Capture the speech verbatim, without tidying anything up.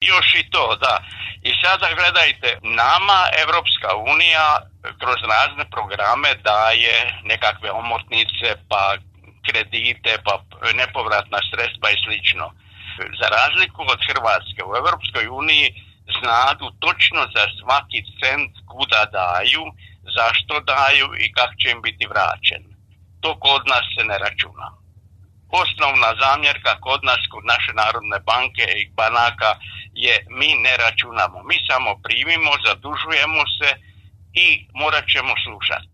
Još i to, da. I sada gledajte, nama Evropska unija kroz razne programe daje nekakve omotnice, pa kredite, pa nepovratna sredstva i slično. Za razliku od Hrvatske, u Evropskoj uniji znadu točno za svaki cent kuda daju, zašto daju i kako će im biti vraćen. To kod nas se ne računa. Osnovna zamjerka kod nas, kod naše Narodne banke i banaka je mi ne računamo. Mi samo primimo, zadužujemo se i morat ćemo slušati.